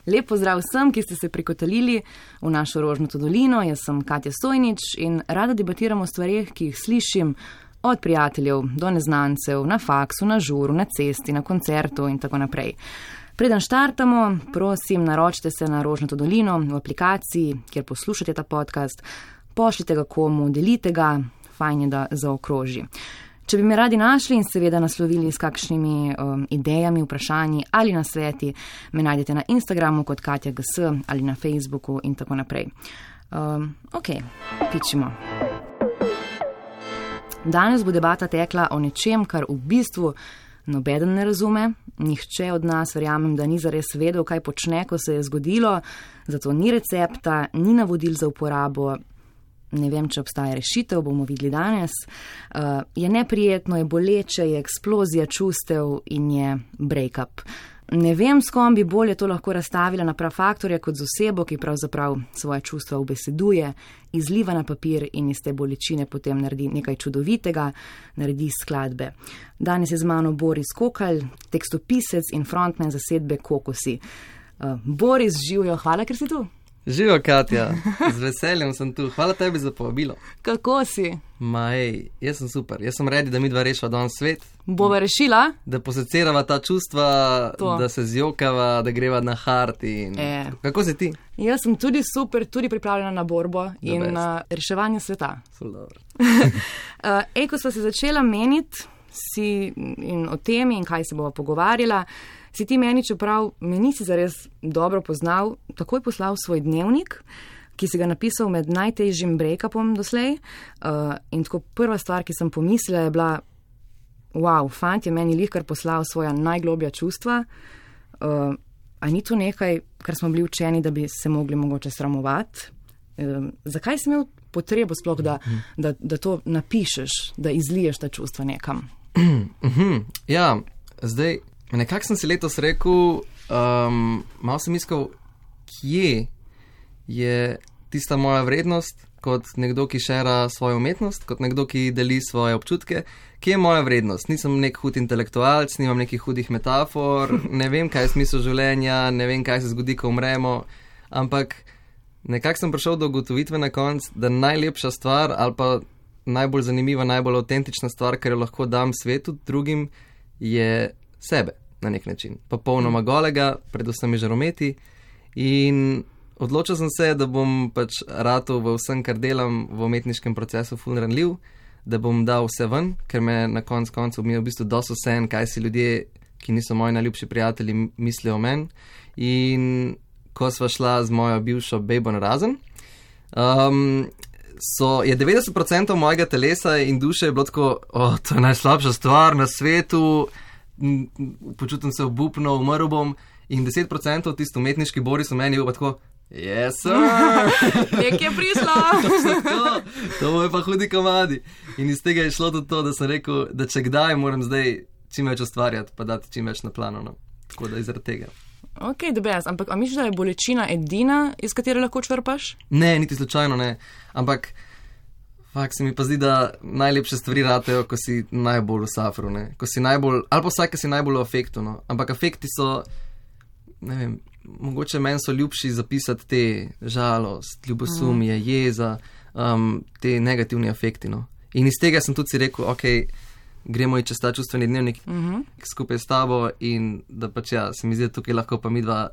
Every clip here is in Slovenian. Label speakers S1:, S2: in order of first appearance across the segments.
S1: Lep pozdrav vsem, ki ste se prikotalili v našo Rožnato dolino. Jaz sem Katja Stojnič in rada debatiram o stvareh, ki jih slišim od prijateljev do neznancev, na faksu, na žuru, na cesti, na koncertu in tako naprej. Preden štartamo, prosim, naročite se na Rožnato dolino v aplikaciji, kjer poslušate ta podcast, pošljite ga komu, delite ga, fajn je, da zaokroži. Če bi me radi našli in seveda naslovili s kakšnimi idejami, vprašanji ali nasveti, me najdete na Instagramu kot Katja GS ali na Facebooku in tako naprej. Ok, pičimo. Danes bo debata tekla o nečem, kar v bistvu nobeden ne razume. Nihče od nas, verjamem, da ni zares vedel, kaj počne, ko se je zgodilo, zato ni recepta, ni navodil za uporabo. Ne vem, če obstaja rešitev, bomo videli danes. Je neprijetno, je boleče, je eksplozija čustev in je break-up. Ne vem, s kom bi bolje to lahko razstavila na prav faktorja kot z osebo, ki pravzaprav svoje čustva ubeseduje, izliva na papir in iz te bolečine potem naredi nekaj čudovitega, naredi skladbe. Danes je z mano Boris Kokalj, tekstopisec in frontman zasedbe Kokosi. Boris, živijo, hvala, ker si tu.
S2: Živijo, Katja, z veseljem sem tu. Hvala tebi za povabilo.
S1: Kako si?
S2: Jaz sem super. Jaz sem redi, da midva rešiva danes svet.
S1: Bova rešila?
S2: Da posecirava ta čustva, da se zjokava, da greva na hard in... Kako si ti?
S1: Jaz sem tudi super, tudi pripravljena na borbo in na reševanje sveta. Ko sva se začela meniti in o temi in kaj se bova pogovarjala, si ti meni, čeprav me nisi zares dobro poznal, takoj poslal svoj dnevnik, ki si ga napisal med najtežjim break-upom doslej. In tako prva stvar, ki sem pomislila, je bila, wow, fant je meni lihkar poslal svoja najgloblja čustva. A ni to nekaj, kar smo bili učeni, da bi se mogli mogoče sramovati? Zakaj si imel potrebo sploh, da to napišeš, da izliješ ta čustva nekam?
S2: Ja, zdaj... Nekako sem si letos rekel, malo sem iskal, kje je tista moja vrednost kot nekdo, ki šera svojo umetnost, kot nekdo, ki deli svoje občutke. Kje je moja vrednost? Nisem nek hud intelektualc, nimam nekih hudih metafor, ne vem, kaj je smisel življenja, ne vem, kaj se zgodi, ko umremo, ampak nekako sem prišel do ugotovitve na konc, da najlepša stvar ali pa najbolj zanimiva, najbolj avtentična stvar, kar jo lahko dam svetu, drugim, je sebe. Na nek način. Popolnoma golega, predvsem žarometi in odločil sem se, da bom pač ratal v vsem, kar delam v umetniškem procesu ful ranljiv, da bom dal vse ven, ker me na koncu mi je v bistvu dosti vseeno, kaj si ljudje, ki niso moji najljubši prijatelji, mislijo o meni. In ko sva šla z mojo bivšo bejbo na razen, je 90% mojega telesa in duše bilo tako, to je najslabša stvar na svetu, počutim se obupno, umrl bom in 10% tisto umetniški Boris v meni je pa tako, yes sir,
S1: nek je prišlo.
S2: To je pa hudi komadi. In iz tega je šlo tudi to, da sem rekel, da če kdaj moram zdaj čim več ustvarjati, pa dati čim več na plano, no. Tako da izradi tega.
S1: Ok, dobres, ampak a misliš, da je bolečina edina, iz katere lahko črpaš?
S2: Ne, niti slučajno ne, ampak fakt se mi pa zdi, da najlepše stvari ratejo, ko si najbolj v safru, ne? Ko si najbolj, ali pa vsak, ki si najbolj v afektu, no? Ampak afekti so, ne vem, mogoče meni so ljubši zapisati te žalost, ljubosumje, jeza, te negativni afekti, no? In iz tega sem tudi si rekel, ok, gremo čez ta čustveni dnevnik skupaj s tabo in da pač ja, se mi zdi, da tukaj lahko pa midva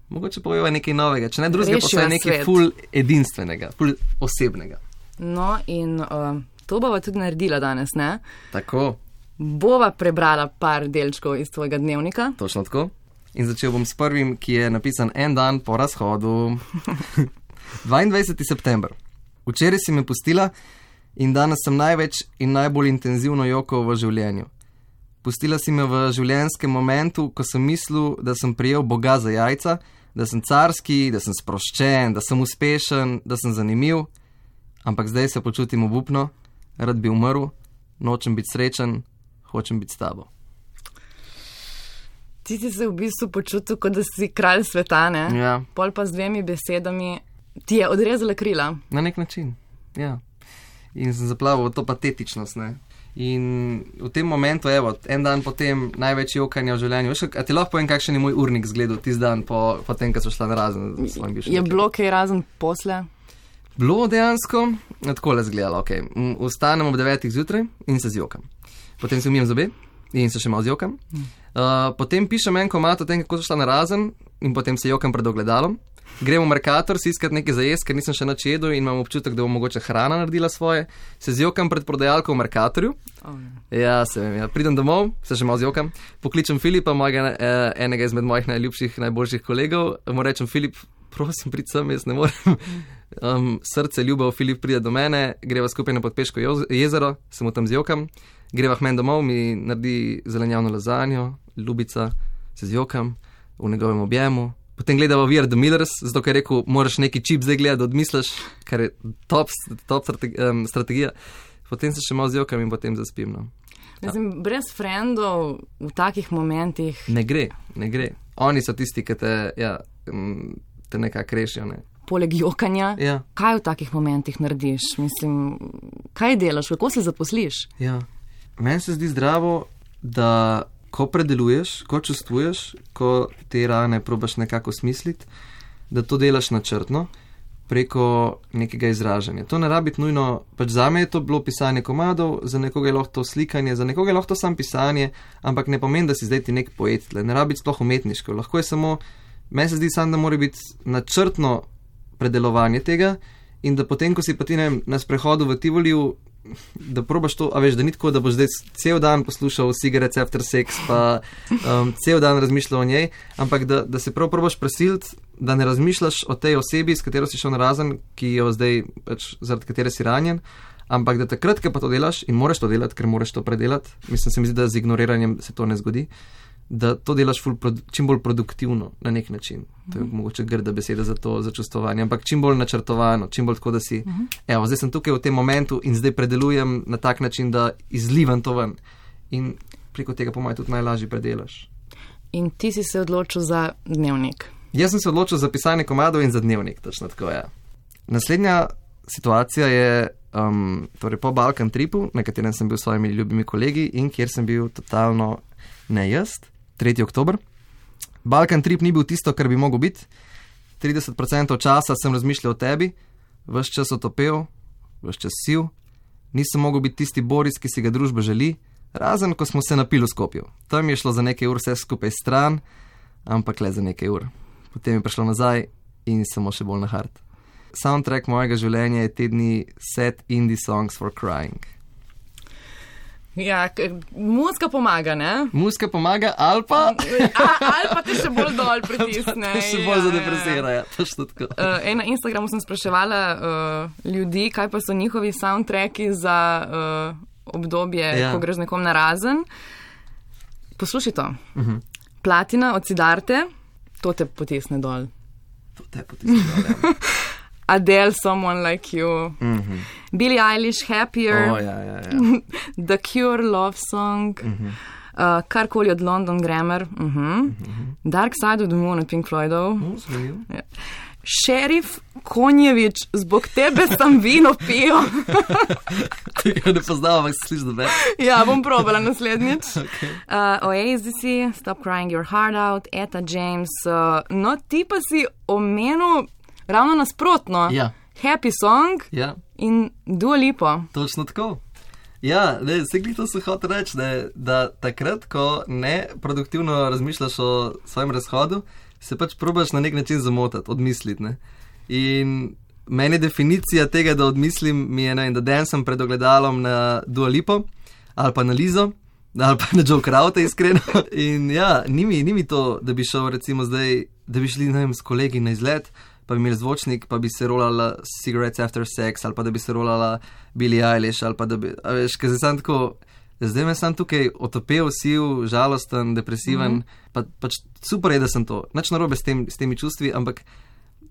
S2: mogoče poveva nekaj novega, če ne drugega, pa vsaj nekaj ful edinstvenega, ful osebnega.
S1: No, in to bova tudi naredila danes, ne?
S2: Tako.
S1: Bova prebrala par delčkov iz tvojega dnevnika.
S2: Točno tako. In začel bom s prvim, ki je napisan en dan po razhodu. 22. september. Včeraj si me pustila in danes sem največ in najbolj intenzivno jokal v življenju. Pustila si me v življenjskem momentu, ko sem mislil, da sem prijel Boga za jajca, da sem carski, da sem sproščen, da sem uspešen, da sem zanimiv. Ampak zdaj se počutim obupno, rad bi umrl, nočem biti srečen, hočem biti s tabo.
S1: Ti si se v bistvu počutil, kot da si kralj sveta, ne?
S2: Ja.
S1: Pol pa z 2 besedami ti je odrezala krila.
S2: Na nek način, ja. In sem zaplavil v to patetičnost, ne. In v tem momentu, evo, en dan potem največ jokanja v življenju. Veš, a ti lahko povem, kakšen je moj urnik zgledal tisti dan po tem, ko so šla na razen.
S1: Je bilo kaj razen posle?
S2: Bilo dejansko, tako le zgledalo, ok. Vstanem ob 9 zjutraj in se zjokam. Potem se umijem zobe in se še malo zjokam. Potem pišem en komad o tem, kako so šla na razen in potem se jokam pred ogledalom. Gremo v Mercator si iskati nekaj za jesti, ker nisem še nič jedel in imam občutek, da bo mogoče hrana naredila svoje. Se zjokam pred prodajalko v Mercatorju. Ja, se vem, ja. Pridem domov, se še malo zjokam. Pokličem Filipa, enega izmed mojih najljubših, najboljših kolegov. Mu rečem, Filip, prosim, prid sem, jaz ne morem. Srce, ljubav, Filip pride do mene, greva skupaj na Podpeško jezero, se mu tam zjokam. Greva k meni domov, mi naredi zelenjavno lazanjo, ljubica, se zjokam v njegovem objemu. Potem gledava We Are The Millers, zato ker je rekel, moraš neki čip zdaj gledati, da odmisliš, kar je top strategija. Potem se še malo zjokam in potem zaspim. No.
S1: Mislim, brez frendov v takih momentih...
S2: Ne gre. Oni so tisti, ki te nekako rešijo. Ne.
S1: Poleg jokanja, kaj v takih momentih narediš? Mislim, kaj delaš, kako se zaposliš?
S2: Ja. Meni se zdi zdravo, da ko predeluješ, ko čustvuješ, ko te rane probaš nekako smisliti, da to delaš načrtno preko nekega izražanja. To ne rabi nujno, pač zame je to bilo pisanje komadov, za nekoga je lahko to slikanje, za nekoga je lahko to sam pisanje, ampak ne pomeni, da si zdaj ti nek poet, ne rabi sploh umetniško. Lahko je samo, meni se zdi sam, da mora biti načrtno predelovanje tega in da potem, ko si pa ti na sprehodu v Tivoliju, da probaš to, a veš, da ni tako, da boš zdaj cel dan poslušal Cigarettes After Sex, pa cel dan razmišljal o njej, ampak da se prav probaš presiliti, da ne razmišljaš o tej osebi, s katero si šel na razen, ki jo zdaj, pač, zaradi katere si ranjen, ampak da takrat, ko pa to delaš in moraš to delati, ker moraš to predelati, mislim, se mi zdi, da z ignoriranjem se to ne zgodi, da to delaš čim bolj produktivno na nek način. To je mogoče grda beseda za to, za čustvovanje, ampak čim bolj načrtovano, čim bolj tako, da si, evo, zdaj sem tukaj v tem momentu in zdaj predelujem na tak način, da izlivam to ven. In preko tega po mojem tudi najlažje predelaš.
S1: In ti si se odločil za dnevnik?
S2: Jaz sem se odločil za pisanje komadov in za dnevnik, točno tako, ja. Naslednja situacija je torej po Balkan tripu, na katerem sem bil s svojimi ljubimi kolegi in kjer sem bil totalno ne jaz. 3. oktober. Balkan trip ni bil tisto, kar bi mogel biti. 30% časa sem razmišljal o tebi, ves čas otopel, ves čas sil. Nisem mogel biti tisti Boris, ki si ga družba želi, razen ko smo se napili v Skopju. Tam je šlo za nekaj ur vse skupaj stran, ampak le za nekaj ur. Potem je prišlo nazaj in samo še bolj na hard. Soundtrack mojega življenja je te dni Sad Indie Songs for Crying.
S1: Ja, muzika pomaga, ne?
S2: Muzika pomaga, ali pa
S1: te še bolj dol pritisne.
S2: Še bolj zadepresira, ja, točno tako.
S1: Na Instagramu sem spraševala ljudi, kaj pa so njihovi soundtracki za obdobje, ko greš nekom na razen. Poslušaj to. Platina od Siddharte, to te potisne dol.
S2: To te potisne dol, ja.
S1: Adele, Someone Like You, Billie Eilish, Happier, The Cure, Love Song, karkoli od London Grammar, Dark Side of the Moon od Pink Floydov, Šerif Konjevič, zbog tebe sem vino pijo.
S2: Tega ne poznam, ampak se sliši dobe.
S1: Ja, bom probala naslednjič. Oasis, Stop Crying Your Heart Out, Etta James, no ti pa si omenil ravno nasprotno.
S2: Ja.
S1: Happy Song in Dua Lipa.
S2: Točno tako. Ja, vse to se hoče reči, da takrat, ko ne produktivno razmišljaš o svojem razhodu, se pač probaš na nek način zamotati, odmisliti. Ne? In meni definicija tega, da odmislim, mi je, da dancem pred ogledalom na Dua Lipo, ali pa na Lizo, ali pa na Joe Kraute, iskreno. In ja, ni mi to, da bi šel recimo zdaj, da bi šli, ne vem, s kolegi na izlet, pa bi imeli zvočnik, pa bi se rolala Cigarettes After Sex, ali pa da bi se rolala Billie Eilish, ali pa da bi, a veš, ker sem tako, zdaj me sem tukaj otopel, siv, žalosten, depresiven, pač super je, da sem to. Nič narobe s temi čustvi, ampak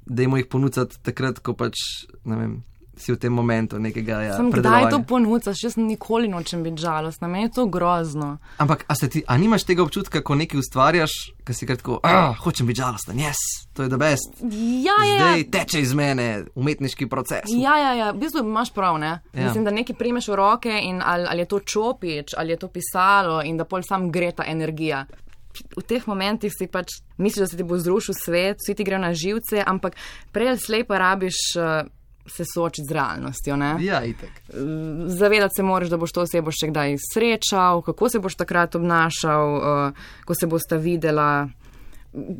S2: dajmo jih ponuditi takrat, ko pač, ne vem, si v tem momentu nekega
S1: predelovanja. Kdaj to ponucaš? Jaz nikoli nočem biti žalostna, meni je to grozno.
S2: Ampak, a nimaš tega občutka, ko nekaj ustvarjaš, ko si kratko, hočem biti žalosten, yes, to je the best. Zdaj teče iz mene umetniški proces.
S1: Ja, v bistvu imaš prav, ne? Mislim, da nekaj primeš v roke in ali je to čopič, ali je to pisalo in da pol sam gre ta energija. V teh momentih si pač misliš, da se ti bo zrušil svet, vsi ti grejo na živce, ampak prej ali slej pa rabiš se soočiti z realnostjo, ne?
S2: Ja, itak.
S1: Zavedati se moraš, da boš to osebo še kdaj srečal, kako se boš takrat obnašal, ko se bosta videla,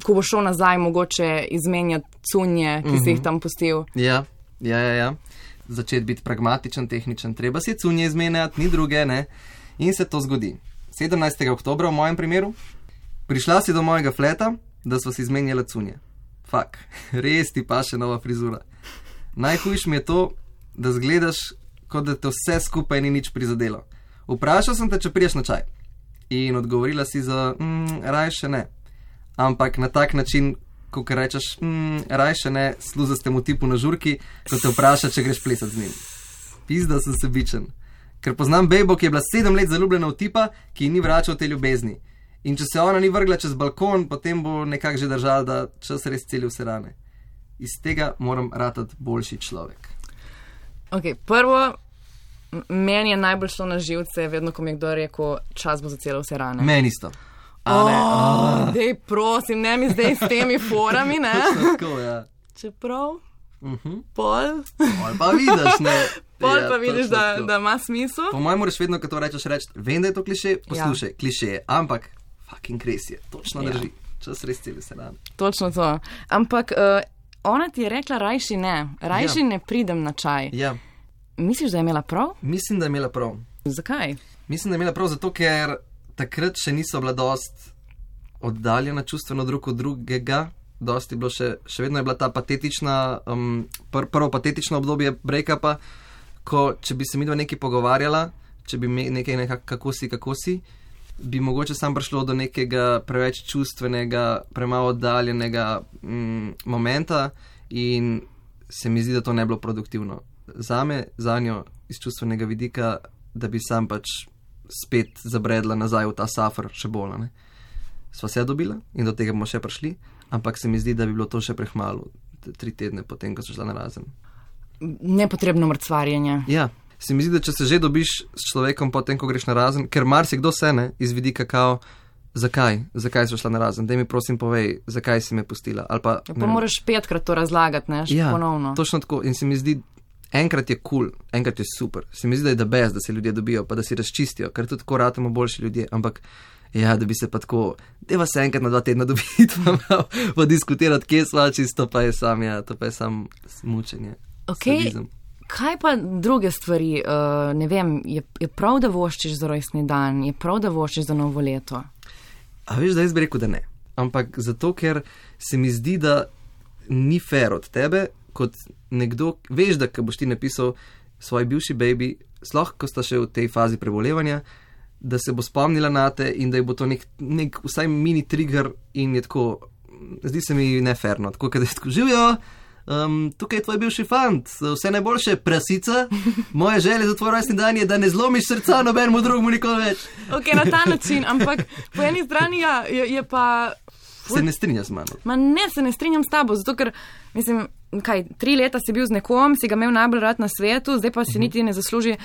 S1: ko boš šel nazaj mogoče izmenjati cunje, ki si jih tam pustil.
S2: Ja. Začeti biti pragmatičen, tehničen, treba si cunje izmenjati, ni druge, ne? In se to zgodi. 17. oktobra v mojem primeru. Prišla si do mojega fleta, da sva si izmenjala cunje. Fak, res ti pa še nova frizura. Najhujš mi je to, da zgledaš, kot da te vse skupaj ni nič prizadelo. Vprašal sem te, če priješ na čaj. In odgovorila si za, rajše ne. Ampak na tak način, ko rečeš, rajše ne, sluzastemu tipu na žurki, ko te vpraša, če greš plesati z njim. Pizda sem sebičen. Ker poznam bejbo, ki je bila 7 let zaljubljena v tipa, ki ji ni vračal te ljubezni. In če se ona ni vrgla čez balkon, potem bo nekako že držala, da čas res celi vse rane. Iz tega moram ratati boljši človek.
S1: Ok, prvo, meni je najbolj šlo na živce, vedno, ko mi je kdo rekel, čas bo za celo vse rane.
S2: Meni isto.
S1: Dej, prosim, ne mi zdaj s temi forami, ne?
S2: Tako, ja.
S1: Čeprav, pol
S2: pa vidiš, ne?
S1: Pol pa vidiš, da ima smisel.
S2: Po mojem moraš vedno, ko to rečeš, vem, da je to kliše, poslušaj, kliše je, ampak fucking res je, točno drži. Čas res celi se rane.
S1: Točno to. Ampak ona ti je rekla, rajši ne pridem na čaj.
S2: Ja.
S1: Misliš, da je imela prav?
S2: Mislim, da je imela prav.
S1: Zakaj?
S2: Mislim, da je imela prav zato, ker takrat še niso bila dost oddaljena čustveno drug od drugega. Dosti je bilo še vedno je bila ta patetična, prvo patetično obdobje break-upa, ko če bi se midva nekaj pogovarjala, če bi nekaj kako si, bi mogoče sam prišlo do nekega preveč čustvenega, premalo oddaljenega momenta in se mi zdi, da to ne bilo produktivno. Zame, zanjo, iz čustvenega vidika, da bi sam pač spet zabredla nazaj v ta safr še bolj, ne. Sva se dobila in do tega bomo še prišli, ampak se mi zdi, da bi bilo to še prehmalo 3 tedne potem, ko so šla narazen.
S1: Nepotrebno mrcvarjenje.
S2: Ja. Se mi zdi, da če se že dobiš s človekom potem, ko greš narazen, ker marsikdo se ne, iz vidika kao, zakaj so šla narazen, daj mi prosim povej, zakaj si me pustila. Ali pa
S1: moraš 5-krat to razlagati, ne, še ponovno.
S2: Ja, točno tako. In se mi zdi, enkrat je cool, enkrat je super. Se mi zdi, da je the best, da se ljudje dobijo, pa da si razčistijo, ker tudi tako ratamo boljši ljudje, ampak ja, da bi se pa tako, deva se enkrat na 2 tedna dobiti, pa diskutirati, kje sva, čisto pa je sam mučenje.
S1: Sadizem. Kaj pa druge stvari, ne vem, je prav, da voščiš za rojstni dan, je prav, da voščiš za novo leto?
S2: A veš, da jaz bi rekel, da ne. Ampak zato, ker se mi zdi, da ni fair od tebe, kot nekdo, veš, da ko boš ti napisal svoji bivši baby, sploh ko sta še v tej fazi prebolevanja, da se bo spomnila na te in da je bo to nek vsaj mini trigger in je tako, zdi se mi neferno, tako da je tako živijo. Tukaj je tvoj bivši fant, vse najboljše, prasica, moje želje za tvoj rojstni dan je, da ne zlomiš srca nobenemu drugemu nikoli več.
S1: Ok, na ta način, ampak po eni strani je pa...
S2: Se ne strinja z mano.
S1: Ne, se ne strinjam s tabo, zato ker, mislim, 3 leta si bil z nekom, si ga imel najbolj rad na svetu, zdaj pa si niti ne zasluži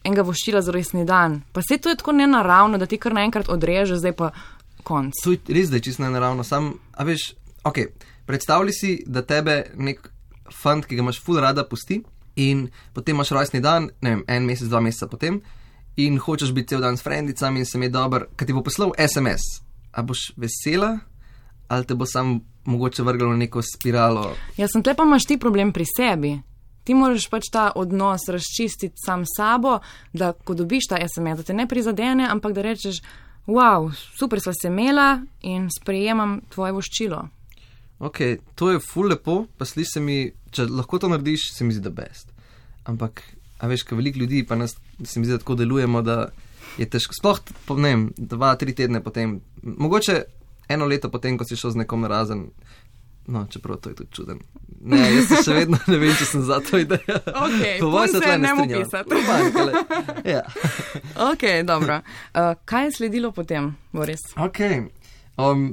S1: enega voščila za rojstni dan. Pa se to je tako nenaravno, da ti kar naenkrat odreže, zdaj pa konc.
S2: To je res, da je čisto nenaravno, a veš, ok, predstavljaj si, da tebe nek fant, ki ga imaš ful rada, pusti in potem imaš rojstni dan, ne vem, 1 mesec, 2 meseca potem in hočeš biti cel dan s frendicami in se mi je dober, kad ti bo poslal SMS, a boš vesela ali te bo sam mogoče vrglo na neko spiralo?
S1: Ja, sem tle pa imaš ti problem pri sebi. Ti moraš pač ta odnos razčistiti sam sabo, da ko dobiš ta SMS, da te ne prizadene, ampak da rečeš, wow, super sva se imela in sprejemam tvoje voščilo.
S2: Ok, to je ful lepo, pa sliši se mi, če lahko to narediš, se mi zdi the best. Ampak, a veš, ko veliko ljudi, pa nas se mi zdi, da tako delujemo, da je težko, sploh, ne vem, 2-3 tedne potem, mogoče 1 leto potem, ko si šel z nekom narazen, No, čeprav to je tudi čuden. Ne, jaz se še vedno ne vem, če sem za to idejo.
S1: Ok, to se ne mu pisati.
S2: Ja.
S1: Ok, dobro. Kaj je sledilo potem, Boris?
S2: Ok.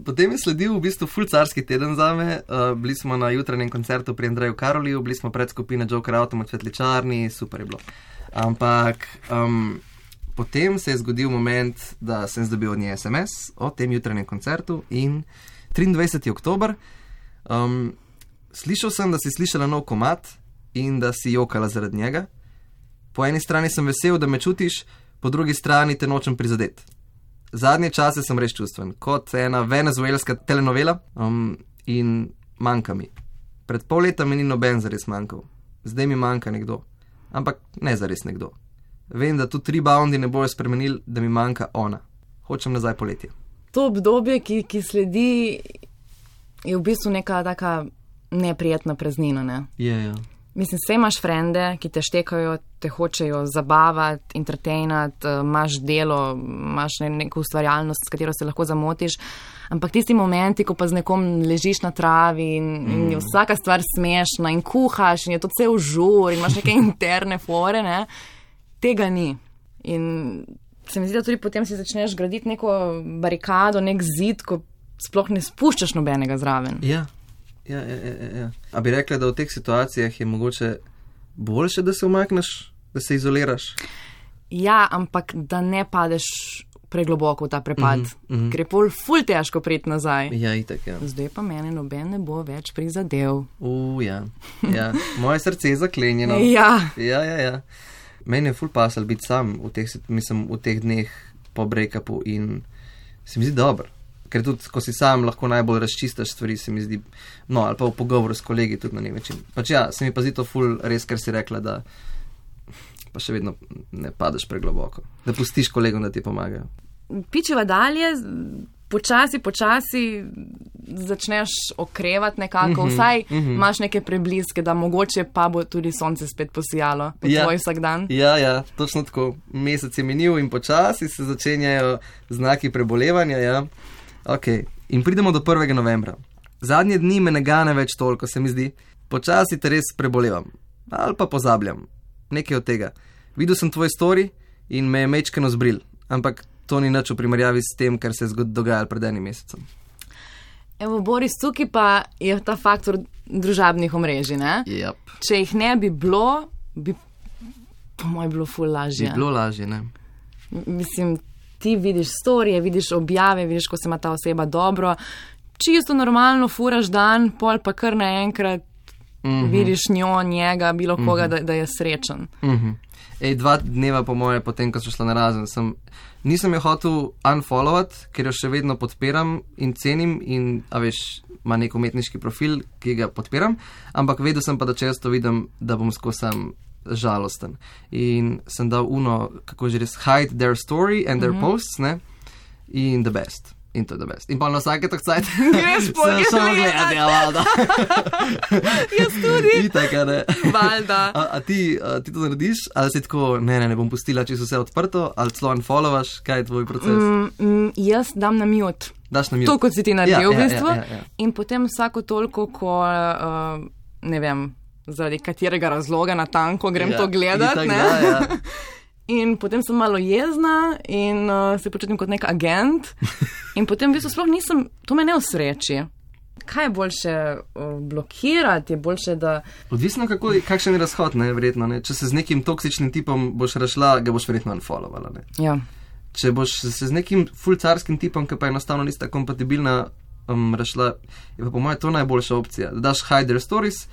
S2: Potem je sledil v bistvu ful carski teden zame. Bili smo na jutranjem koncertu pri Andreju Karoliju, bili smo pred skupine Joker Autom od Svetličarni, super je bilo. Ampak potem se je zgodil moment, da sem dobil od nje SMS o tem jutranjem koncertu in 23. oktober. Slišal sem, da si slišala nov komad in da si jokala zaradi njega. Po eni strani sem vesel, da me čutiš, po drugi strani te nočem prizadeti. Zadnje čase sem res čustven, kot ena venezuelska telenovela in manjka mi. Pred pol leta mi ni noben zares manjkal. Zdaj mi manjka nekdo. Ampak ne zares nekdo. Vem, da tudi reboundi ne bojo spremenili, da mi manjka ona. Hočem nazaj poletje.
S1: To obdobje, ki sledi, je v bistvu neka taka neprijetna praznina, ne?
S2: Ja.
S1: Mislim, vse imaš frende, ki te štekajo, te hočejo zabavati, entertainati, imaš delo, imaš neko ustvarjalnost, s katero se lahko zamotiš, ampak tisti momenti, ko pa z nekom ležiš na travi in je vsaka stvar smešna in kuhaš in je to cel žur in imaš neke interne fore, ne? Tega ni. In se mi zdi, da tudi potem si začneš graditi neko barikado, nek zid, ko sploh ne spuščaš nobenega zraven.
S2: Ja. A bi rekla, da v teh situacijah je mogoče boljše, da se umakneš, da se izoliraš?
S1: Ja, ampak da ne padeš pregloboko v ta prepad, ker je pol ful težko priti nazaj.
S2: Ja, itak, ja.
S1: Zdaj pa mene noben ne bo več prizadev.
S2: Ja. Moje srce je zaklenjeno. Ja. Meni je ful pasal biti sam v teh dneh po breakupu in se mi zdi dobro. Ker tudi, ko si sam, lahko najbolj razčistaš stvari, se mi zdi, no, ali pa v pogovoru s kolegi tudi na nek način. Pač ja, se mi pa zdi to ful res, ker si rekla, da pa še vedno ne padeš pregloboko. Da pustiš kolegom, da ti pomagajo.
S1: Pičeva dalje, počasi začneš okrevati nekako, vsaj imaš neke prebliske, da mogoče pa bo tudi sonce spet posijalo po tvoj vsak dan.
S2: Ja, točno tako. Mesec je minil in počasi se začenjajo znaki prebolevanja, ja. Ok, in pridemo do 1. novembra. Zadnje dni me ne gane več toliko, se mi zdi. Počasi te res prebolevam. Ali pa pozabljam. Nekaj od tega. Videl sem tvoj story in me je mečkeno zbril. Ampak to ni nič v primerjavi s tem, kar se je dogajalo pred enim mesecem.
S1: Evo, Boris, tukaj pa je ta faktor družabnih omrežij, ne?
S2: Yep.
S1: Če jih ne bi bilo, bi po mojem bilo ful lažje.
S2: Bi bilo lažje, ne?
S1: Mislim, ti vidiš storije, vidiš objave, vidiš, ko se ima ta oseba dobro, čisto normalno furaš dan, pol pa kar naenkrat vidiš njo, njega, bilo koga, da je srečen.
S2: Ej, 2 dneva po moje, potem, ko so šla narazen, nisem jo hotel unfollowati, ker jo še vedno podpiram in cenim in, a veš, ima nek umetniški profil, ki ga podpiram, ampak vedel sem pa, da često vidim, da bom skozi sam žalosten. In sem dal kako že res, hide their story and their posts, ne? In the best. In to je the best. In pa na vsake tak cajt
S1: greš
S2: samo gledati, ja, valda.
S1: Jaz tudi.
S2: Itak, ne?
S1: Valda.
S2: A ti to narediš? Ali si tako, ne bom pustila, če so vse odprto, ali celo unfollowaš, kaj je tvoj proces?
S1: Jaz dam na mute.
S2: Daš na mute.
S1: To, kot si ti naredil, v bistvu.
S2: Ja.
S1: In potem vsako toliko, ko, ne vem, zaradi katerega razloga natanko grem to gledati, ne?
S2: Ja.
S1: In potem sem malo jezna in se počutim kot nek agent in potem v bistvu sploh nisem, to me ne osreči. Kaj je boljše blokirati, je boljše, da...
S2: Odvisno, kakšen je razhod, ne, verjetno, ne. Če se z nekim toksičnim tipom boš razšla, ga boš verjetno unfollovala, ne.
S1: Ja.
S2: Če boš se z nekim fulcarskim tipom, ki pa enostavno nista kompatibilna, razšla, je pa po moje to najboljša opcija. Da daš hide their stories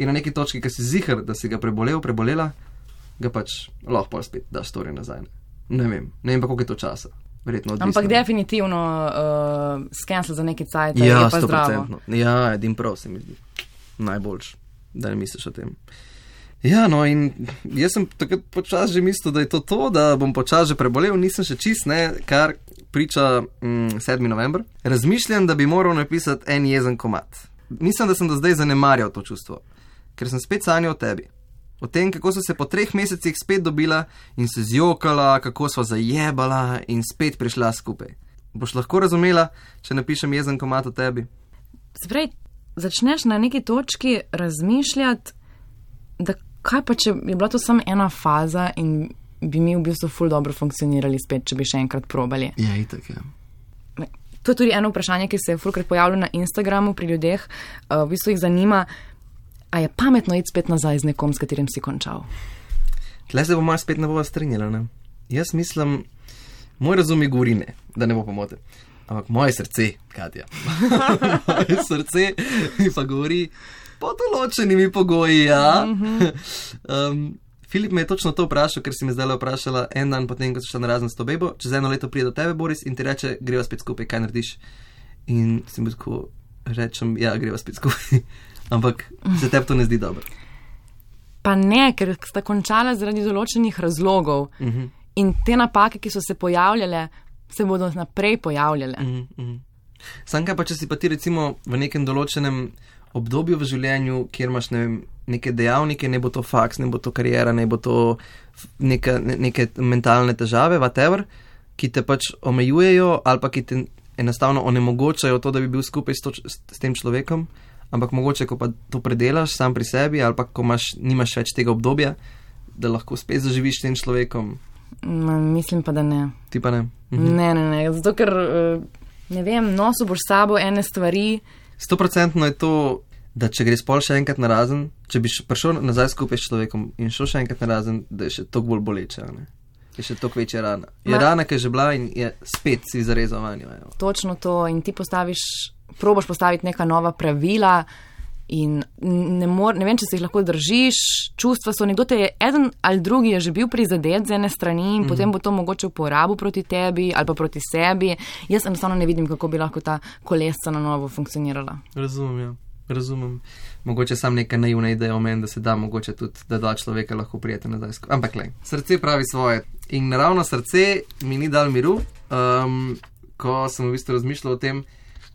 S2: in na neki točki, ki si zihar, da si ga prebolela, ga pač lahko pa spet daš story nazaj. Ne vem pa, koliko je to časa. Verjetno odvisno.
S1: Ampak definitivno scancel za neki cajt, je pa zdravo.
S2: Ja, edin prav se mi zdi. Najboljš, da ne misliš o tem. Ja, no in jaz sem takrat počas že mislil, da je to, da bom počas že prebolel, nisem še čist, ne, kar priča 7. november. Razmišljam, da bi moral napisati en jezen komad. Mislim, da sem do zdaj zanemarjal to čustvo, ker sem spet sanjal o tebi. O tem, kako so se po 3 mesecih spet dobila in se zjokala, kako sva zajebala in spet prišla skupaj. Boš lahko razumela, če napišem jezen komad o tebi?
S1: Se pravi, začneš na neki točki razmišljati, da kaj pa, če je bila to samo ena faza in bi mi v bistvu ful dobro funkcionirali spet, če bi še enkrat probali.
S2: Ja, itak, ja.
S1: To je tudi eno vprašanje, ki se je fulkrat pojavilo na Instagramu pri ljudeh. V bistvu jih zanima, a je pametno iti spet nazaj z nekom, s katerim si končal?
S2: Tle se bomo spet ne bova strinjala, ne? Jaz mislim, moj razum mi govori ne, da ne bo pomote. Ampak moje srce, Katja, moje srce mi pa govori pod določenimi pogoji, ja. Filip me je točno to vprašal, ker si me zdaj vprašala en dan potem, ko si šla na razen s to bebo, čez 1 leto pride do tebe, Boris, in ti reče, greva spet skupaj, kaj narediš? In si mi tako rečem, ja, greva spet skupaj. Ampak se tebi to ne zdi dobro.
S1: Pa ne, ker sta končala zaradi določenih razlogov. In te napake, ki so se pojavljale, se bodo naprej pojavljale.
S2: Sam kaj pa, če si pa ti recimo v nekem določenem obdobju v življenju, kjer imaš, ne vem, neke dejavnike, ne bo to faks, ne bo to karijera, ne bo to neke mentalne težave, whatever, ki te pač omejujejo ali pa ki te enostavno onemogočajo to, da bi bil skupaj s tem človekom, ampak mogoče, ko pa to predelaš sam pri sebi ali pa ko nimaš več tega obdobja, da lahko spet zaživiš s tem človekom.
S1: Mislim pa, da ne.
S2: Ti pa ne?
S1: Ne. Zato, ker, ne vem, nosil boš s sabo ene stvari.
S2: 100% je to, da če greš pol še enkrat narazen, če bi prišel nazaj skupaj s človekom in šel še enkrat narazen, da je še toliko bolj boleče, ne? Je še toliko večja rana. Je rana, ki je že bila in je spet si zarezal vanjo.
S1: Točno to in ti probaš postaviti neka nova pravila in ne vem, če se jih lahko držiš, čustva so, nekdo te je, eden ali drugi je že bil prizadet z ene strani in potem bo to mogoče uporabil proti tebi ali pa proti sebi. Jaz enostavno ne vidim, kako bi lahko ta kolesca na novo funkcionirala.
S2: Razumem. Mogoče sam neka naivna ideja o meni, da se da mogoče tudi, da dva človeka lahko prijete nazaj. Ampak lej, srce pravi svoje. In naravno srce mi ni dal miru, ko sem v bistvu razmišljal o tem,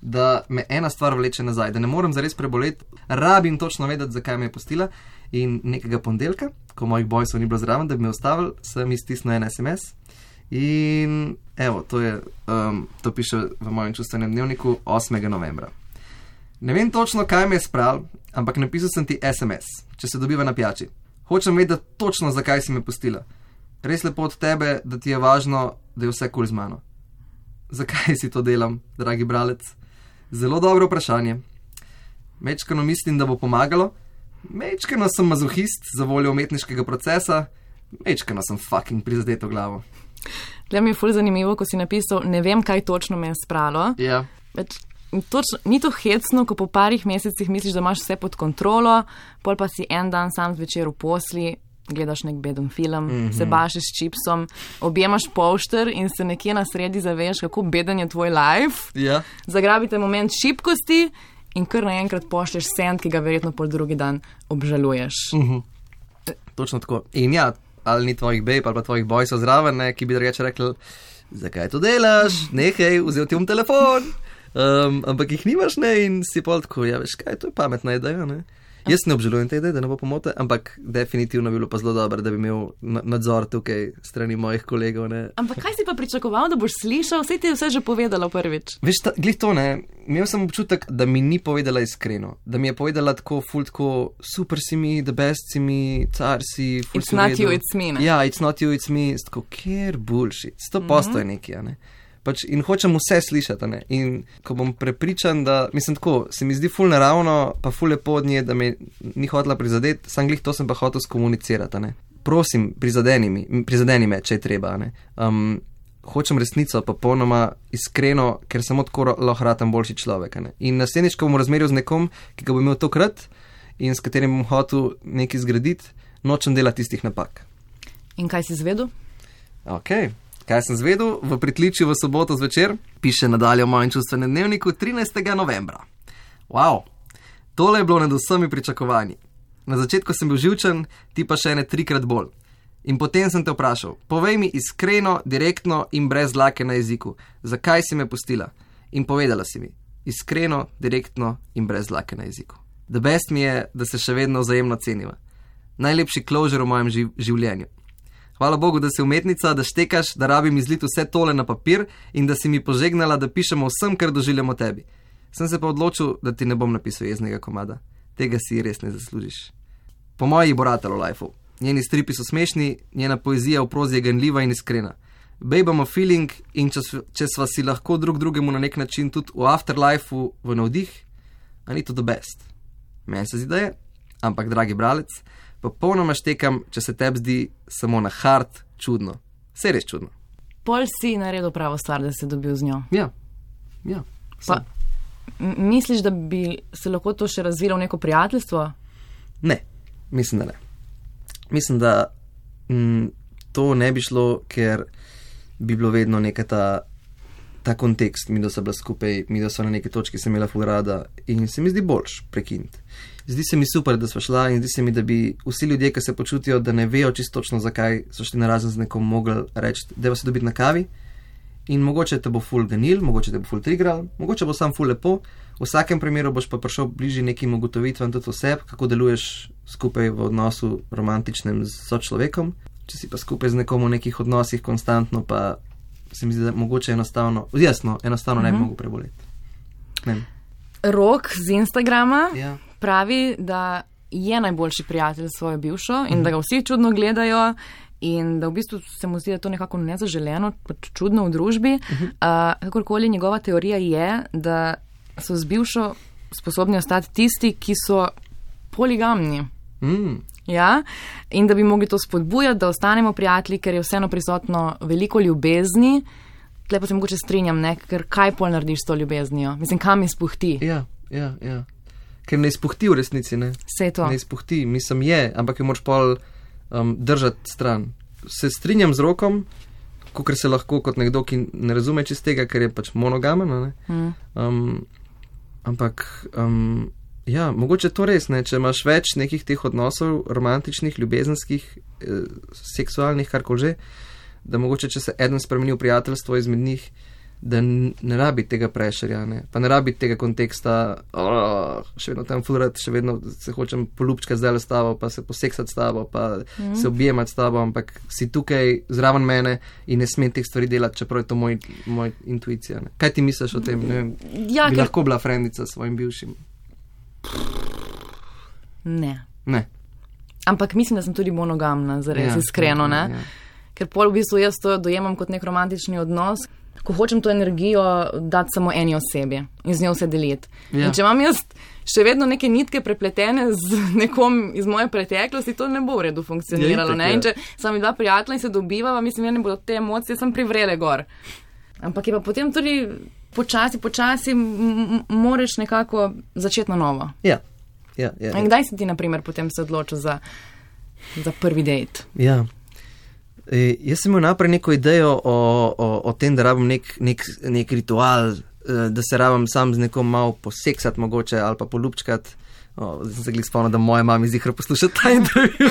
S2: da me ena stvar vleče nazaj, da ne morem zares preboleti, rabim točno vedeti, zakaj me je pustila. In nekega ponedeljka, ko mojih bojsov ni bilo zraven, da bi me ustavili, sem iztisnil en SMS. In evo, to piše v mojem čustvenem dnevniku 8. novembra. Ne vem točno, kaj me je spravil, ampak napisal sem ti SMS, če se dobiva na pijači. Hočem vedeti točno, zakaj si me pustila. Res lepo od tebe, da ti je važno, da je vse kul z mano. Zakaj si to delam, dragi bralec? Zelo dobro vprašanje. Mečkano mislim, da bo pomagalo. Mečkano sem mazohist za voljo umetniškega procesa. Mečkano sem fucking prizadeto glavo.
S1: Tle mi je ful zanimivo, ko si napisal, ne vem, kaj točno me je spralo.
S2: Ja.
S1: Ni to hecno, ko po parih mesecih misliš, da imaš vse pod kontrolo, pol pa si en dan sam zvečer v posli, gledaš nek beden film, se bašeš s čipsom, objemaš polšter in se nekje na sredi zaveš, kako beden je tvoj life.
S2: Ja.
S1: Zagrabite moment šibkosti in kar naenkrat pošlješ send, ki ga verjetno pol drugi dan obžaluješ.
S2: Točno tako. In ja, ali ni tvojih babe ali pa tvojih bojsov zraven, ki bi drugače rekli, zakaj to delaš, nehej, vzel ti telefon. Ampak jih nimaš, ne, in si pol tako, ja, veš kaj, to je pametna ideja, ne. Jaz ne obžalujem te ideje, da ne bo pomote, ampak definitivno bi bilo pa zelo dobro, da bi imel nadzor tukaj strani mojih kolegov, ne. Ampak
S1: kaj si pa pričakoval, da boš slišal? Vse ti je vse že povedala prvič.
S2: Veš, glih to, ne, imel sem občutek, da mi ni povedala iskreno, da mi je povedala tako ful, tako super si mi, the best si mi, car si, ful si v redu.
S1: It's not you, it's me, ne.
S2: Ja, it's not you, it's me, tako, kjer bullshit, 100% je nekaj, ne. In hočem vse slišati, ne? In ko bom prepričan, da, mislim tako, se mi zdi ful naravno, pa ful lepo od nje, da me ni hotela prizadeti, sam glih to sem pa hotel skomunicirati, ne? Prosim, prizadeni me, če je treba, ne? Hočem resnico, pa popolnoma iskreno, ker samo tako lahko ratam boljši človek, ne? In naslednjič, ko bom razmeril z nekom, ki ga bo imel tokrat in s katerim bom hotel nekaj zgraditi, nočem delati tistih napak.
S1: In kaj si zvedel?
S2: Okej. Kaj sem zvedel? V pritličju v soboto zvečer, piše nadalje v mojem čustvenem dnevniku 13. novembra. Wow, tole je bilo nad vsemi pričakovanji. Na začetku sem bil živčen, ti pa še ene 3-krat bolj. In potem sem te vprašal, povej mi iskreno, direktno in brez dlake na jeziku, zakaj si me pustila? In povedala si mi, iskreno, direktno in brez dlake na jeziku. The best mi je, da se še vedno vzajemno ceniva. Najlepši closure v mojem življenju. Hvala Bogu, da si umetnica, da štekaš, da rabim izliti vse tole na papir in da si mi požegnala, da pišemo vsem, kar doživljamo tebi. Sem se pa odločil, da ti ne bom napisal jeznega komada. Tega si res ne zaslužiš. Po moji bo ratalo lifeu. Njeni stripi so smešni, njena poezija v prozi je ganljiva in iskrena. Babe, I'm a feeling in če sva si lahko drug drugemu na nek način tudi v afterlifeu v navdih, a ni to the best. Meni se zdi, da je, ampak dragi bralec, popolnoma štekam, če se tebi zdi samo na hard čudno. Vse res čudno.
S1: Pol si naredil pravo stvar, da si dobil z njo.
S2: Ja.
S1: Pa, misliš, da bi se lahko to še razvilo v neko prijateljstvo?
S2: Ne, mislim, da ne. Mislim, da to ne bi šlo, ker bi bilo vedno neka ta kontekst, mi da so bila skupaj, mi da so na neki točki se imela ful rada in se mi zdi boljš prekiniti. Zdi se mi super, da sva šla in zdi se mi, da bi vsi ljudje, ki se počutijo, da ne vejo čisto točno, zakaj so šli narazen z nekom, mogli reči, da se dobiti na kavi in mogoče te bo ful ganil, mogoče te bo ful trigral, mogoče bo sam ful lepo, v vsakem primeru boš pa prišel bližje nekim ugotovitvam tudi oseb, kako deluješ skupaj v odnosu romantičnem z sočlovekom. Če si pa skupaj z nekom v nekih odnosih konstantno, pa se mi zdi, da mogoče enostavno ne bi mogel preboleti. Ne.
S1: Rok z Instagrama pravi, da je najboljši prijatelj svojo bivšo in da ga vsi čudno gledajo in da v bistvu se mu zdi, da je to nekako nezaželeno, čudno v družbi. Kakorkoli njegova teorija je, da so z bivšo sposobni ostati tisti, ki so poligamni. Ja, in da bi mogli to spodbujati, da ostanemo prijatelji, ker je vseeno prisotno veliko ljubezni. Tle pa se mogoče strinjam, ne, ker kaj pol narediš s to ljubeznijo? Mislim, kam izpuhti?
S2: Ja. Ker ne izpuhti v resnici, ne?
S1: Sej to.
S2: Ne izpuhti, mislim je, ampak jo moraš pol držati stran. Se strinjam z Rokom, kakor se lahko kot nekdo, ki ne razume čist tega, ker je pač monogamen, ne? Ampak... Ja, mogoče to res, ne, če imaš več nekih teh odnosov, romantičnih, ljubezenskih, seksualnih, karkoli že, da mogoče, če se eden spremeni v prijateljstvo izmed njih, da ne rabi tega prešerja, ne, pa ne rabi tega konteksta, še vedno tam flurat, še vedno se hočem polupčkati zdaj s tabo, pa se poseksati s tabo, pa se objemati s tabo, ampak si tukaj zraven mene in ne smem teh stvari delati, čeprav je to moj intuicija. Ne. Kaj ti misliš o tem? Ne vem,
S1: ja,
S2: bi lahko bila frendica s svojim bivšim?
S1: Ne. Ampak mislim, da sem tudi monogamna, zares iskreno, ne? Ja. Ker pol v bistvu jaz to dojemam kot nek romantični odnos, ko hočem to energijo dati samo eni osebi in z njo vse deliti. Ja. In če imam jaz še vedno neke nitke prepletene z nekom iz moje preteklosti, to ne bo v redu funkcioniralo, ne? In če sem dva prijatelja in se dobivava, mislim, da ne bodo te emocije, sem privrele gor. Ampak je pa potem tudi počasi moreš nekako začeti na novo.
S2: Ja.
S1: In kdaj si ti, na primer, potem se odločil za prvi dejt?
S2: Ja. Jaz sem imel naprej neko idejo o tem, da rabim nek ritual, da se rabim sam z nekom malo poseksati mogoče ali pa polupčkati. Zdaj sem se glih spomnil, da moja mami zihra posluša ta intervju.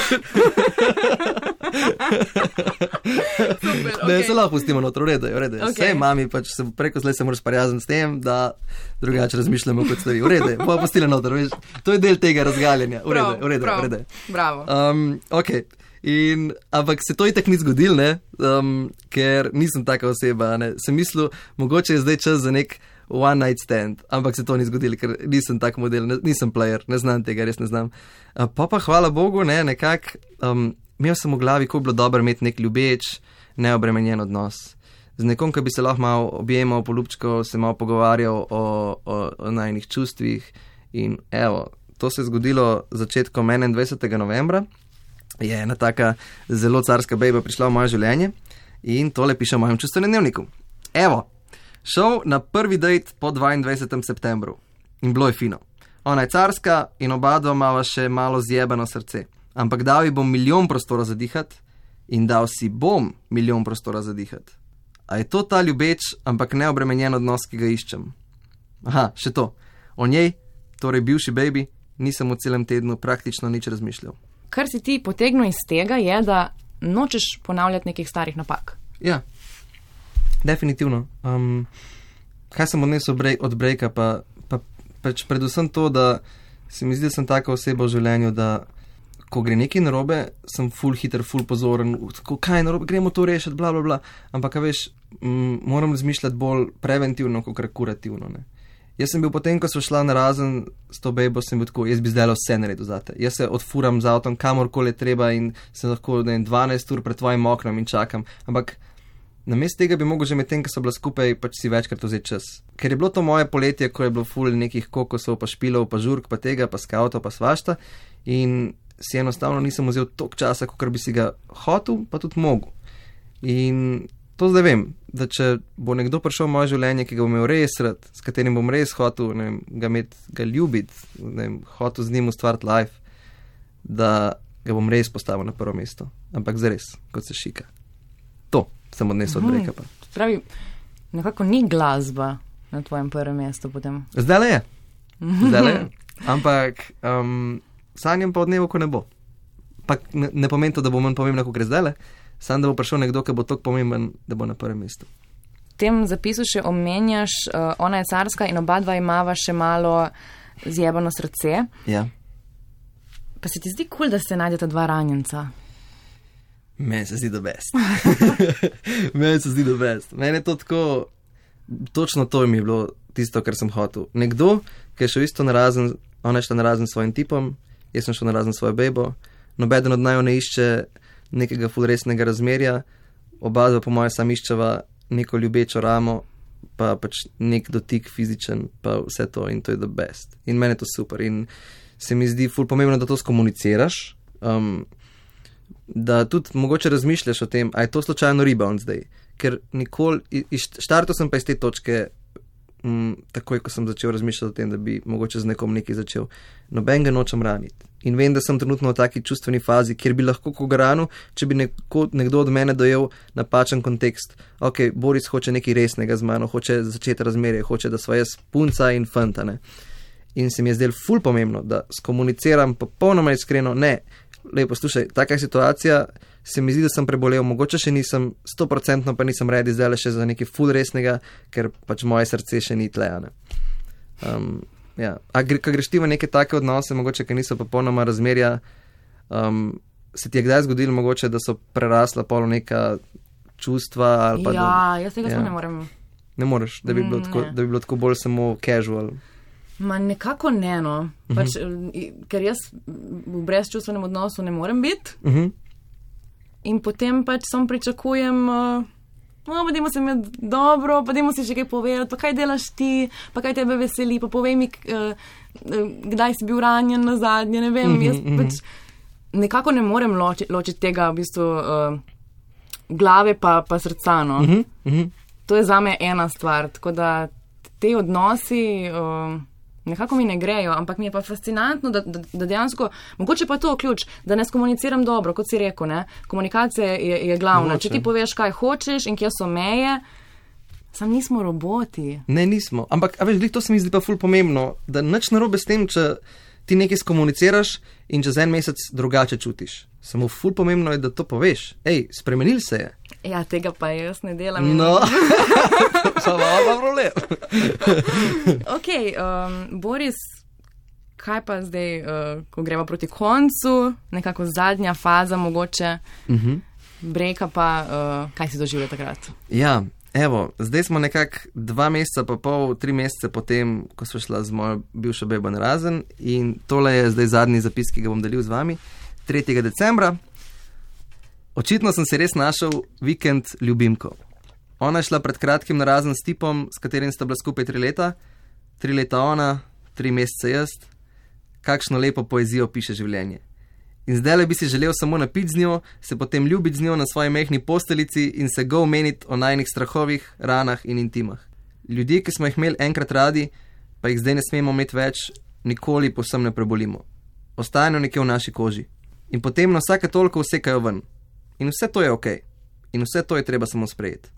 S2: Super, okay. Ne, se lahko pustimo notro, v redu. Okay. Vse mami, pač preko zdaj se moraš parjazen s tem, da drugače razmišljamo kot stvari. V redu, bojo pustili notro, veš. To je del tega razgaljenja. V redu.
S1: Bravo.
S2: Ok. Ampak se to itak ni zgodil, ne? Ker nisem taka oseba, ne? Sem mislil, mogoče je zdaj čas za nek one night stand, ampak se to ni zgodilo, ker nisem tak model, nisem player, ne znam tega, res ne znam. Pa hvala Bogu, ne, nekako, imel sem v glavi, ko bi bilo dobro imeti nek ljubeč, neobremenjen odnos. Z nekom, ki bi se lahko malo objemal, polupčkal, se malo pogovarjal o najnih čustvih in evo, to se je zgodilo začetkom 21. novembra, je ena taka zelo carska bejba prišla v moje življenje in tole piše v mojem čustvenem dnevniku. Evo, šel na prvi dejt po 22. septembru in bilo je fino. Ona je carska in oba dva imava še malo zjebano srce, ampak dal ji bom milijon prostora za dihati in dal si bom milijon prostora za dihati. A je to ta ljubeč, ampak neobremenjen odnos, ki ga iščem? Aha, še to. O njej, torej bivši baby, nisem v celem tednu praktično nič razmišljal.
S1: Kar si ti potegnil iz tega je, da nočeš ponavljati nekih starih napak.
S2: Ja, definitivno. Kaj sem odnesel od breaka, pa predvsem to, da se mi zdi, da sem taka oseba v življenju, da ko gre nekaj narobe, sem ful hiter, ful pozoren, kaj je narobe, gremo to rešiti, bla. Ampak, veš, moram razmišljati bolj preventivno, kot kurativno, ne. Jaz sem bil potem, ko so šla narazen s to bejbo, sem bil tako, jaz bi zdaj vse naredil zate. Jaz se odfuram z avtom, kamorkoli treba in sem lahko 12 ur pred tvojim oknom in čakam. Ampak namesto tega bi mogel že med tem, ko so bila skupaj, pač si večkrat vzeti čas. Ker je bilo to moje poletje, ko je bilo ful nekih kokosov, pa špilov, pa žurk, pa tega, pa skavtov, pa svašta in si enostavno nisem vzel toliko časa, kot bi si ga hotel, pa tudi mogel. In to zdaj vem, da če bo nekdo prišel v moje življenje, ki ga bom imel res rad, s katerim bom res hotel ga ljubiti, hotel z njim ustvariti life, da ga bom res postavil na prvo mesto. Ampak zares, kot se šika. To sem odnesel od breka.
S1: Pravi, nekako ni glasba na tvojem prvem mestu potem.
S2: Zdaj je. Ampak sanjam pa od dnevu, ko ne bo. Pa ne pomeni to, da bo manj pomembno, ko gre zdaj. Sam, da bo prišel nekdo, ki bo tako pomemben, da bo na prvem mestu.
S1: V tem zapisu še omenjaš, ona je carska in oba dva imava še malo zjebano srce.
S2: Ja.
S1: Pa se ti zdi cool, da se najdeta dva ranjenca?
S2: Meni se zdi the best. Meni je to tako, točno to mi je bilo tisto, kar sem hotel. Nekdo, ki je šel isto narazen, ona je šla narazen s svojim tipom, jaz sem šel narazen s svojo bebo, nobeden od naju ne išče nekega ful resnega razmerja, oba dva po moje sam iščeva neko ljubečo ramo, pa pač nek dotik fizičen, pa vse to in to je the best. In meni je to super in se mi zdi ful pomembno, da to skomuniciraš, da tudi mogoče razmišljaš o tem, a je to slučajno rebound zdaj, ker nikoli, štartal sem pa iz te točke, takoj, ko sem začel razmišljati o tem, da bi mogoče z nekom nekaj začel, noben ga nočem raniti. In vem, da sem trenutno v taki čustveni fazi, kjer bi lahko koga ranil, če bi nekdo od mene dojel napačen kontekst. Ok, Boris hoče nekaj resnega z mano, hoče začeti razmerje, hoče, da sva jaz punca in fanta, ne. In se mi je zdelo ful pomembno, da skomuniciram popolnoma iskreno, ne, lepo, slušaj, taka situacija, se mi zdi, da sem prebolel, mogoče še nisem 100%, pa nisem ready zdaj še za nekaj ful resnega, ker pač moje srce še ni tlejane. Ja. A ko greš ti v neke take odnose, mogoče, ki niso popolnoma razmerja, se ti je kdaj zgodilo mogoče, da so prerasla polo neka čustva ali pa...
S1: Ja, jaz tega ne morem.
S2: Ne moreš, da bi bilo tako bolj samo casual.
S1: Ma nekako ne, no. Pač, ker jaz v brezčustvenem odnosu ne morem biti. In potem pač sam pričakujem... No, pa dajmo se imeti dobro, pa dajmo si še kaj povedati, pa kaj delaš ti, pa kaj tebe veseli, pa povej mi, kdaj si bil ranjen na zadnje, ne vem, jaz pač nekako ne morem ločiti tega v bistvu glave pa srca, no. To je zame ena stvar, tako da te odnosi nekako mi ne grejo, ampak mi je pa fascinantno, da dejansko, mogoče pa to ključ, da ne skomuniciram dobro, kot si rekel, ne, komunikacija je glavna. Mogoče. Če ti poveš, kaj hočeš in kje so meje, sam nismo roboti.
S2: Ne, nismo, ampak, a veš, to se mi zdi pa ful pomembno, da nič narobe s tem, če ti nekaj skomuniciraš in čez en mesec drugače čutiš. Samo ful pomembno je, da to poveš. Ej, spremenil se je.
S1: Ja, tega pa jaz ne delam.
S2: No, samo pa problem.
S1: Ok, Boris, kaj pa zdaj, ko greva proti koncu, nekako zadnja faza mogoče, breka pa, kaj si doživljal takrat?
S2: Ja, evo, zdaj smo nekako 2 meseca pa pol, 3 mesece potem, ko smo šla z mojo bivšo bebo narazen in tole je zdaj zadnji zapis, ki ga bom delil z vami, 3. decembra. Očitno sem se res našel vikend ljubimko. Ona je šla pred kratkim narazen s tipom, s katerim sta bila skupaj 3 leta. 3 leta ona, 3 mesece jaz. Kakšno lepo poezijo piše življenje. In zdaj bi si želel samo napiti z njo, se potem ljubiti z njo na svoji mehni posteljici in se go omeniti o najnih strahovih, ranah in intimah. Ljudje, ki smo jih imeli enkrat radi, pa jih zdaj ne smemo imeti več, nikoli povsem ne prebolimo. Ostanejo nekje v naši koži. In potem na vsake toliko vsekajo ven. In vse to je okej. In vse to je treba samo sprejeti.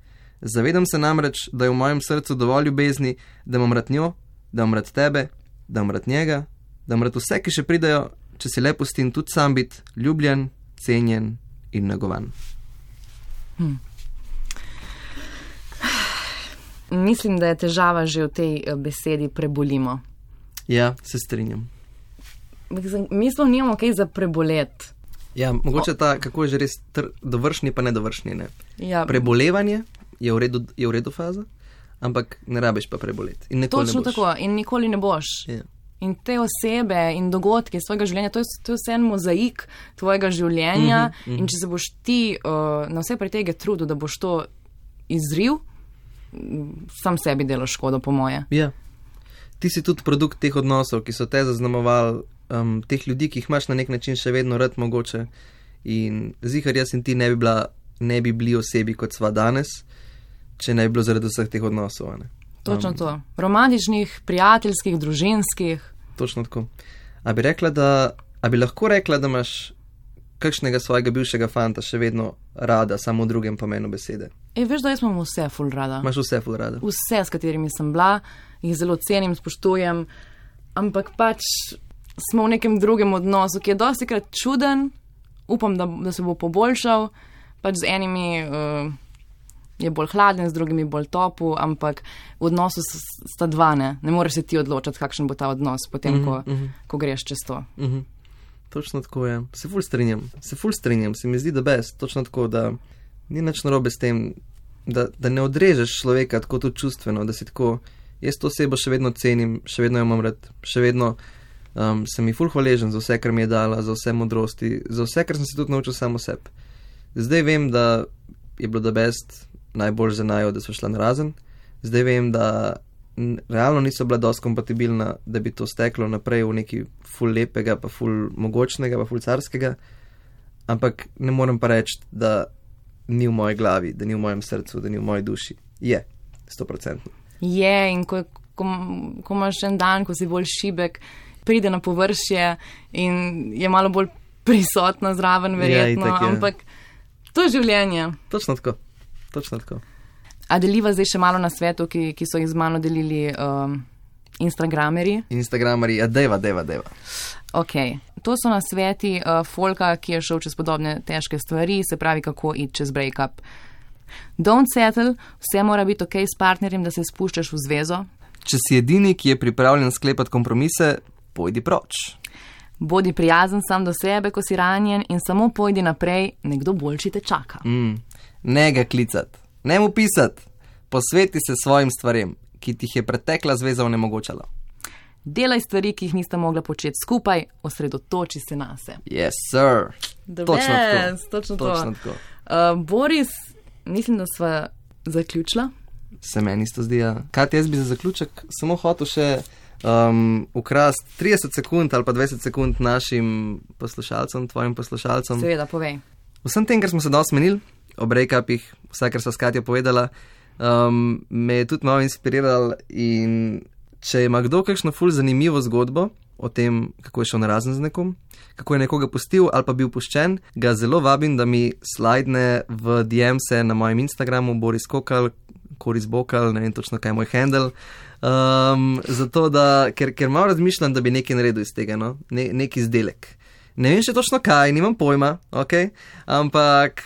S2: Zavedam se namreč, da je v mojem srcu dovolj ljubezni, da imam rad njo, da imam rad tebe, da imam rad njega, da imam rad vse, ki še pridajo, če si le pustim tudi sam biti ljubljen, cenjen in negovan.
S1: Mislim, da je težava že v tej besedi prebolimo.
S2: Ja, se strinjam.
S1: Mi sploh nimamo kaj za prebolet.
S2: Ja, mogoče ta, kako je že res dovršni pa nedovršni, ne?
S1: Ja.
S2: Prebolevanje je v redu faza, ampak ne rabiš pa preboleti. In nikoli
S1: Točno
S2: ne boš.
S1: tako, in nikoli ne boš.
S2: Ja. In
S1: te osebe in dogodke svojega življenja, to je vse en mozaik tvojega življenja in če se boš ti na vse pretege trudil, da boš to izril, sam sebi delaš škodo, po moje.
S2: Ja. Ti si tudi produkt teh odnosov, ki so te zaznamovali, teh ljudi, ki jih imaš na nek način še vedno rad mogoče. In zihar jaz in ti ne bi bili osebi, kot sva danes, če ne bi bilo zaradi vseh teh odnosov. Ne?
S1: Točno to. Romantičnih, prijateljskih, družinskih.
S2: Točno tako. A bi lahko rekla, da imaš kakšnega svojega bivšega fanta še vedno rada, samo v drugem pomenu besede?
S1: Veš, da jaz imam vse ful rada.
S2: Imaš vse ful rada?
S1: Vse, s katerimi sem bila, jih zelo cenim, spoštujem, ampak pač smo v nekem drugem odnosu, ki je dostikrat čuden, upam, da se bo poboljšal, pač z enimi je bolj hladen, z drugimi bolj topu, ampak v odnosu sta dva, ne moreš se ti odločiti, kakšen bo ta odnos potem, ko greš čez to.
S2: Točno tako je. Se ful strinjam, se mi zdi, da best, točno tako, da ni nič narobe s tem, da ne odrežeš človeka tako tudi čustveno, da si tako, jaz to osebo še vedno cenim, še vedno jo imam rad, še vedno sem ji ful hvaležen za vse, kar mi je dala, za vse modrosti, za vse, kar sem se tudi naučil samo sebi. Zdaj vem, da je bilo da best najbolj za najo, da so šla narazen. Zdaj vem, da realno niso bila dosti kompatibilna, da bi to steklo naprej v neki ful lepega, pa ful mogočnega, pa ful carskega, ampak ne morem pa reči, da ni v moji glavi, da ni v mojem srcu, da ni v moji duši. Je, 100%.
S1: Je, in ko imaš en dan, ko si bolj šibek, pride na površje in je malo bolj prisotna zraven, verjetno,
S2: itak,
S1: ampak to je življenje.
S2: Točno tako.
S1: A deliva zdaj še malo na svetu, ki so jih z mano delili Instagramerji?
S2: Instagramerji, deva.
S1: Ok, to so nasveti folka, ki je šel čez podobne težke stvari, se pravi, kako iti čez break-up. Don't settle, vse mora biti ok s partnerjem, da se spuščaš v zvezo.
S2: Če si edini, ki je pripravljen sklepati kompromise, pojdi proč.
S1: Bodi prijazen sam do sebe, ko si ranjen, in samo pojdi naprej, nekdo boljši te čaka.
S2: Ne ga klicat, ne mu pisat, posveti se svojim stvarem, ki ti jih je pretekla zveza onemogočala.
S1: Delaj stvari, ki jih nista mogla početi skupaj, osredotoči se nase.
S2: Yes, sir. Točno tako.
S1: Boris, mislim, da sva zaključila.
S2: Se meni isto zdi, ja. Kaj jaz bi za zaključek samo hotel še ukrast 30 sekund ali pa 20 sekund našim poslušalcem, tvojim poslušalcem.
S1: Seveda, povej.
S2: Vsem tem, kar smo se dosti menili, o break-upih, vse, kar so s Katjo povedala, me je tudi malo inspiriral, in če ima kdo kakšno ful zanimivo zgodbo o tem, kako je šel narazen z nekom, kako je nekoga pustil ali pa bil puščen, ga zelo vabim, da mi slajdne v DM-se na mojem Instagramu Boris Kokal, Koris Bokal, ne vem točno, kaj je moj handle, zato da, ker malo razmišljam, da bi nekaj naredil iz tega, no? Nek izdelek. Ne vem še točno kaj, nimam pojma, ok, ampak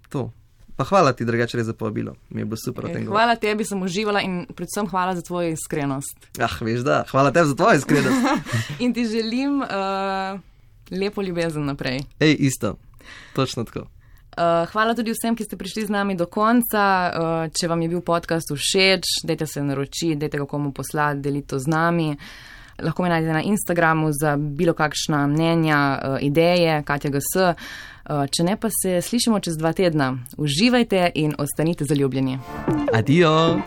S2: to. Pa hvala ti, drugače, res za povabilo. Mi je bilo super o tem govoriti.
S1: Hvala tebi, sem uživala, in predvsem hvala za tvojo iskrenost.
S2: Veš da, hvala tebi za tvojo iskrenost.
S1: In ti želim lepo ljubezen naprej.
S2: Isto, točno tako.
S1: Hvala tudi vsem, ki ste prišli z nami do konca. Če vam je bil podcast všeč, dajte se naročiti, dajte ga komu poslati, delite to z nami. Lahko me najdete na Instagramu za bilo kakšna mnenja, ideje, Katja GS. Če ne, pa se slišimo čez 2 tedna. Uživajte in ostanite zaljubljeni.
S2: Adijo!